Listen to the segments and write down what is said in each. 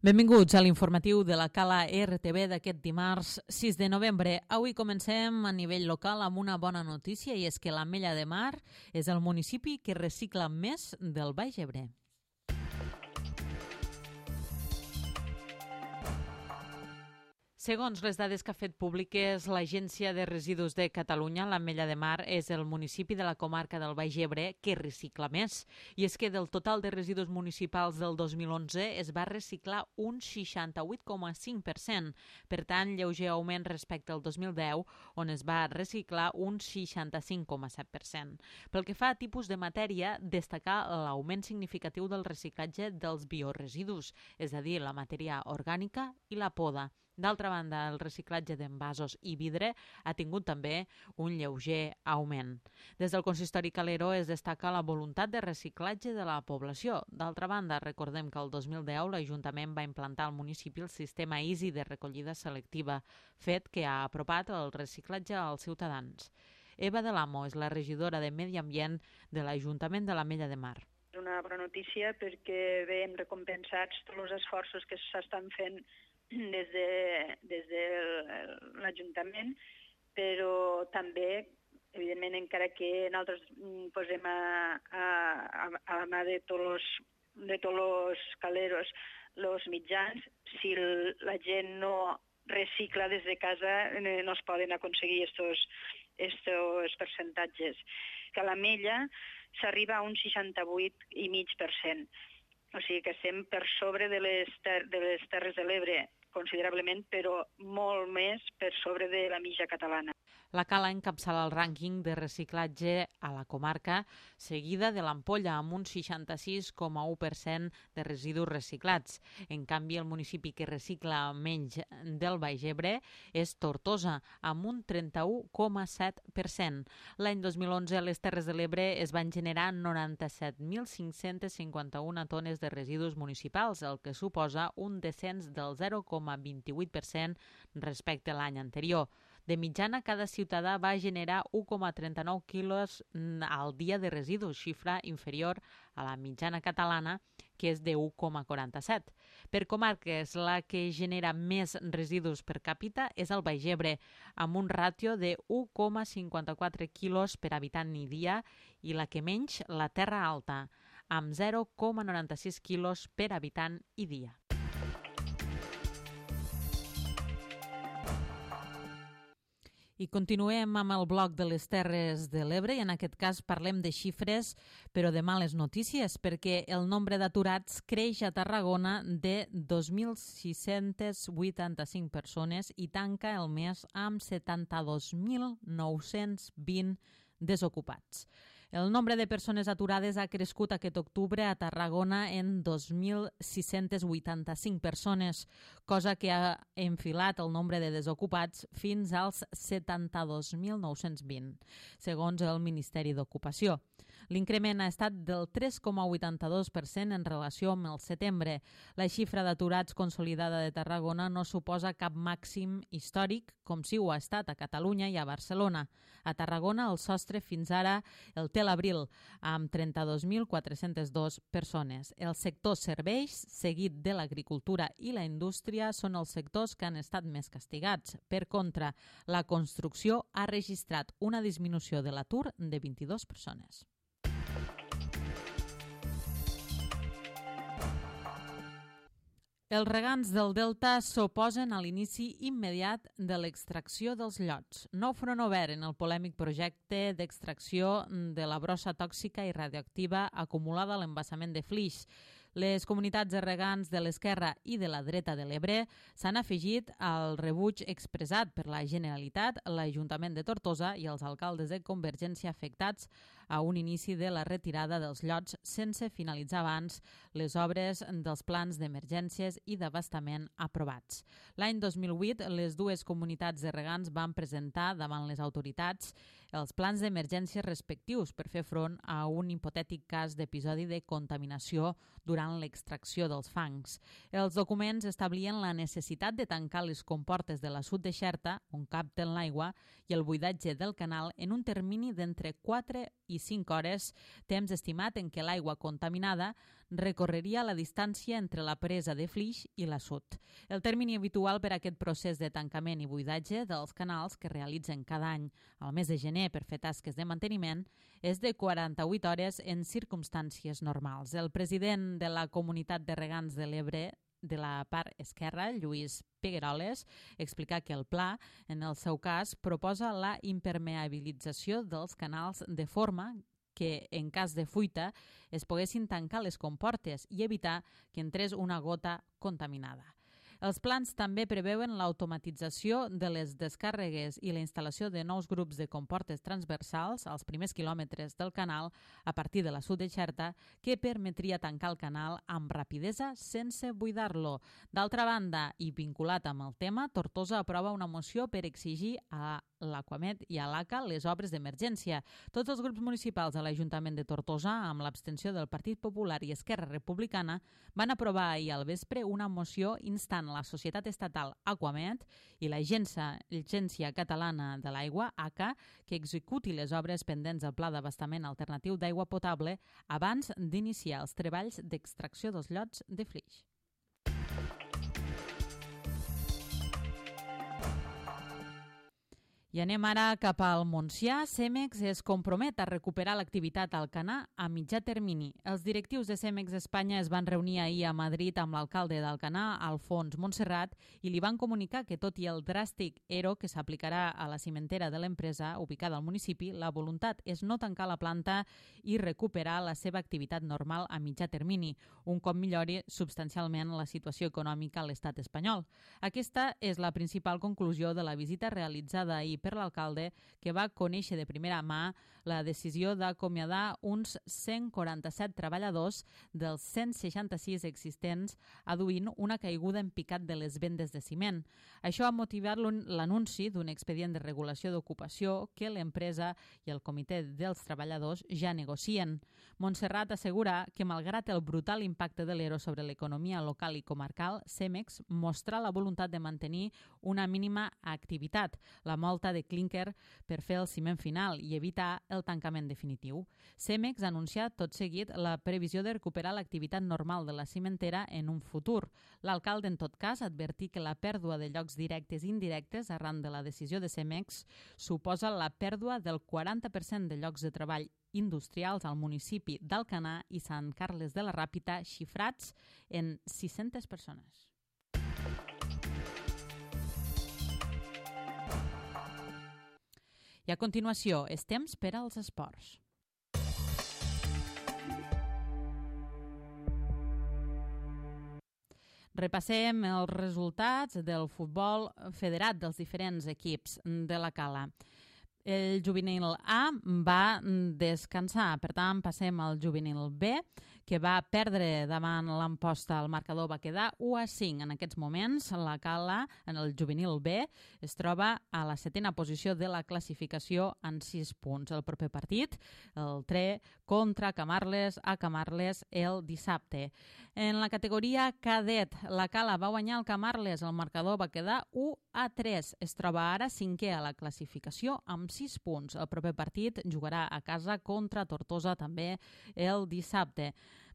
Benvinguts a l'informatiu de la Cala RTV d'aquest dimarts 6 de novembre. Avui comencem a nivell local amb una bona notícia i és que l'Ametlla de Mar és el municipi que recicla més del Baix Ebre. Segons les dades que ha fet públiques l'Agència de Residus de Catalunya, l'Ametlla de Mar és el municipi de la comarca del Baix Ebre que recicla més. I és que del total de residus municipals del 2011 es va reciclar un 68,5%, per tant, lleuger augment respecte al 2010, on es va reciclar un 65,7%. Pel que fa a tipus de matèria, destacar l'augment significatiu del reciclatge dels bioresidus, és a dir, la matèria orgànica i la poda. D'altra banda, el reciclatge d'envasos i vidre ha tingut també un lleuger augment. Des del consistori Calero es destaca la voluntat de reciclatge de la població. D'altra banda, recordem que el 2010 l'Ajuntament va implantar al municipi el sistema Easy de recollida selectiva, fet que ha apropat el reciclatge als ciutadans. Eva de l'Amo és la regidora de Medi Ambient de l'Ajuntament de l'Ametlla de Mar. És una bona notícia perquè veiem recompensats tots els esforços que s'estan fent des de l'Ajuntament, però també, evidentment, encara que nosaltres posem a la mà de tots els caleros els mitjans, si la gent no recicla des de casa no es poden aconseguir estos percentatges. Que a l'Ametlla s'arriba a un 68,5%, o sigui que estem per sobre de les Terres de l'Ebre, considerablement, però molt més per sobre de la mitja catalana. La Cala encapçala el rànquing de reciclatge a la comarca, seguida de l'Ampolla, amb un 66,1% de residus reciclats. En canvi, el municipi que recicla menys del Baix Ebre és Tortosa, amb un 31,7%. L'any 2011, a les Terres de l'Ebre es van generar 97.551 tones de residus municipals, el que suposa un descens del 0,28% respecte a l'any anterior. De mitjana, cada ciutadà va generar 1,39 quilos al dia de residus, xifra inferior a la mitjana catalana, que és de 1,47. Per comarques, la que genera més residus per càpita és el Baix Ebre, amb un ràtio de 1,54 quilos per habitant i dia, i la que menys, la Terra Alta, amb 0,96 quilos per habitant i dia. I continuem amb el bloc de les Terres de l'Ebre i en aquest cas parlem de xifres però de males notícies perquè el nombre d'aturats creix a Tarragona de 2.685 persones i tanca el mes amb 72.920 desocupats. El nombre de persones aturades ha crescut aquest octubre a Tarragona en 2.685 persones, cosa que ha enfilat el nombre de desocupats fins als 72.920, segons el Ministeri d'Ocupació. L'increment ha estat del 3,82% en relació amb el setembre. La xifra d'aturats consolidada de Tarragona no suposa cap màxim històric, com si ho ha estat a Catalunya i a Barcelona. A Tarragona el sostre fins ara el té l'abril, amb 32.402 persones. El sector serveis, seguit de l'agricultura i la indústria, són els sectors que han estat més castigats. Per contra, la construcció ha registrat una disminució de l'atur de 22 persones. Els regants del Delta s'oposen a l'inici immediat de l'extracció dels llots. Nou front obert en el polèmic projecte d'extracció de la brossa tòxica i radioactiva acumulada a l'embassament de Flix. Les comunitats de regants de l'esquerra i de la dreta de l'Ebre s'han afegit al rebuig expressat per la Generalitat, l'Ajuntament de Tortosa i els alcaldes de Convergència afectats a un inici de la retirada dels llots sense finalitzar abans les obres dels plans d'emergències i d'abastament aprovats. L'any 2008, les dues comunitats de regants van presentar davant les autoritats els plans d'emergència respectius per fer front a un hipotètic cas d'episodi de contaminació durant l'extracció dels fangs. Els documents establien la necessitat de tancar les comportes de l'assut de Xerta, on capten l'aigua, i el buidatge del canal en un termini d'entre 4 i 25 hores, temps estimat en què l'aigua contaminada recorreria la distància entre la presa de Flix i l'assut. El termini habitual per a aquest procés de tancament i buidatge dels canals que realitzen cada any al mes de gener per fer tasques de manteniment és de 48 hores en circumstàncies normals. El president de la Comunitat de Regants de l'Ebre de la part esquerra, Lluís Pegueroles, explica que el pla, en el seu cas, proposa la impermeabilització dels canals de forma que, en cas de fuita, es poguessin tancar les comportes i evitar que entrés una gota contaminada. Els plans també preveuen l'automatització de les descàrregues i la instal·lació de nous grups de comportes transversals als primers quilòmetres del canal a partir de l'assut de Xerta, que permetria tancar el canal amb rapidesa sense buidar-lo. D'altra banda, i vinculat amb el tema, Tortosa aprova una moció per exigir a l'Aquamed i a l'ACA les obres d'emergència. Tots els grups municipals de l'Ajuntament de Tortosa, amb l'abstenció del Partit Popular i Esquerra Republicana, van aprovar ahir al vespre una moció instant la societat estatal Aquamed i l'Agència Catalana de l'Aigua, ACA, que executi les obres pendents del Pla d'Abastament Alternatiu d'Aigua Potable abans d'iniciar els treballs d'extracció dels llots de Flix. I anem ara cap al Montsià. Cemex es compromet a recuperar l'activitat al Canà a mitjà termini. Els directius de Cemex Espanya es van reunir ahir a Madrid amb l'alcalde d'Alcanar, Alfons Montserrat, i li van comunicar que, tot i el dràstic ERO que s'aplicarà a la cimentera de l'empresa ubicada al municipi, la voluntat és no tancar la planta i recuperar la seva activitat normal a mitjà termini, un cop millori substancialment la situació econòmica a l'estat espanyol. Aquesta és la principal conclusió de la visita realitzada ahir per l'alcalde, que va conèixer de primera mà la decisió d'acomiadar uns 147 treballadors dels 166 existents, aduint una caiguda en picat de les vendes de ciment. Això ha motivat l'anunci d'un expedient de regulació d'ocupació que l'empresa i el comitè dels treballadors ja negocien. Montserrat assegura que, malgrat el brutal impacte de l'ERO sobre l'economia local i comarcal, Cemex mostra la voluntat de mantenir una mínima activitat, la molta de clínquer per fer el ciment final i evitar el tancament definitiu. Cemex ha anunciat tot seguit la previsió de recuperar l'activitat normal de la cimentera en un futur. L'alcalde, en tot cas, advertí que la pèrdua de llocs directes i indirectes arran de la decisió de Cemex suposa la pèrdua del 40% de llocs de treball industrials al municipi d'Alcanar i Sant Carles de la Ràpita, xifrats en 600 persones. I a continuació, és temps per als esports. Repassem els resultats del futbol federat dels diferents equips de la Cala. El juvenil A va descansar, per tant passem al juvenil B, que va perdre davant l'Amposta. El marcador va quedar 1-5. En aquests moments, la Cala, en el juvenil B, es troba a la 7a posició de la classificació en 6 punts. El proper partit, el 3 contra Camarles a Camarles el dissabte. En la categoria cadet, la Cala va guanyar el Camarles. El marcador va quedar 1-3. Es troba ara 5è a la classificació amb 6 punts. El proper partit jugarà a casa contra Tortosa també el dissabte.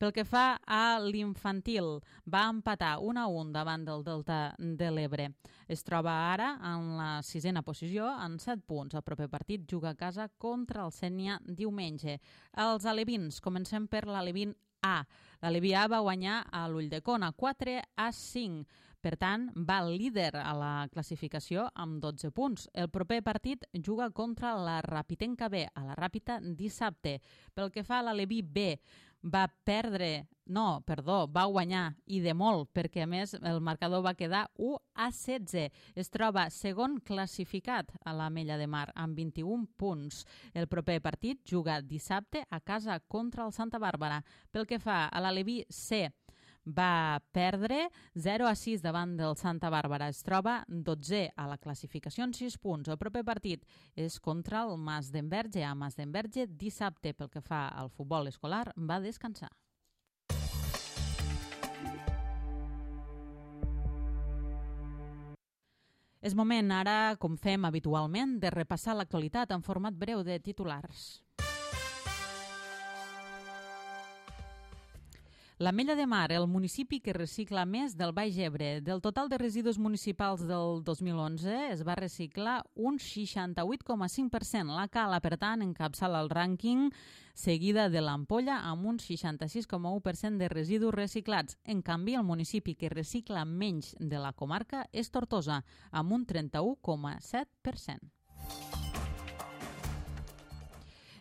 Pel que fa a l'infantil, va empatar 1-1 davant del Delta de l'Ebre. Es troba ara en la 6a posició amb 7 punts. El proper partit juga a casa contra el Sénia diumenge. Els alevins, comencem per l'alevin A. L'Aleví A va guanyar a l'Ulldecona 4-5. Per tant, va líder a la classificació amb 12 punts. El proper partit juga contra la Rapitenca B, a la Ràpita dissabte. Pel que fa a l'Aleví B, va guanyar, i de molt, perquè a més el marcador va quedar 1-16. Es troba segon classificat a l'Ametlla de Mar amb 21 punts. El proper partit juga dissabte a casa contra el Santa Bàrbara. Pel que fa a l'Aleví C, va perdre 0-6 davant del Santa Bàrbara. Es troba 12è a la classificació en 6 punts. El proper partit és contra el Mas d'Enverge. A Mas d'Enverge dissabte. Pel que fa al futbol escolar, va descansar. És moment ara, com fem habitualment, de repassar l'actualitat en format breu de titulars. L'Ametlla de Mar, el municipi que recicla més del Baix Ebre. Del total de residus municipals del 2011 es va reciclar un 68,5%. La Cala, per tant, encapçala el rànquing, seguida de l'Ampolla amb un 66,1% de residus reciclats. En canvi, el municipi que recicla menys de la comarca és Tortosa, amb un 31,7%.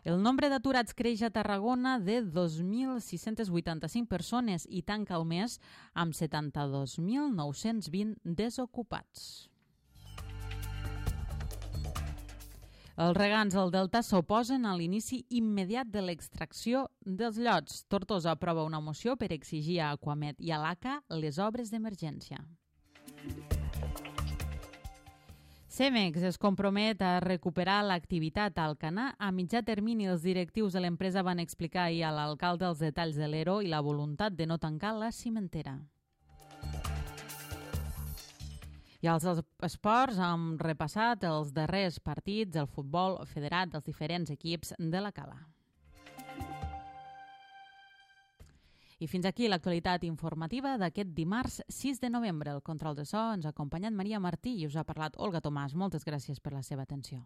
El nombre d'aturats creix a Tarragona de 2.685 persones i tanca el mes amb 72.920 desocupats. Els regants del Delta s'oposen a l'inici immediat de l'extracció dels llots. Tortosa aprova una moció per exigir a Aquamet i a l'ACA les obres d'emergència. Cemex es compromet a recuperar l'activitat a Alcanar. A mitjà termini, els directius de l'empresa van explicar ahir a l'alcalde els detalls de l'ERO i la voluntat de no tancar la cimentera. I als esports hem repassat els darrers partits del futbol federat dels diferents equips de la Cala. I fins aquí l'actualitat informativa d'aquest dimarts 6 de novembre. El control de so ens ha acompanyat Maria Martí i us ha parlat Olga Tomàs. Moltes gràcies per la seva atenció.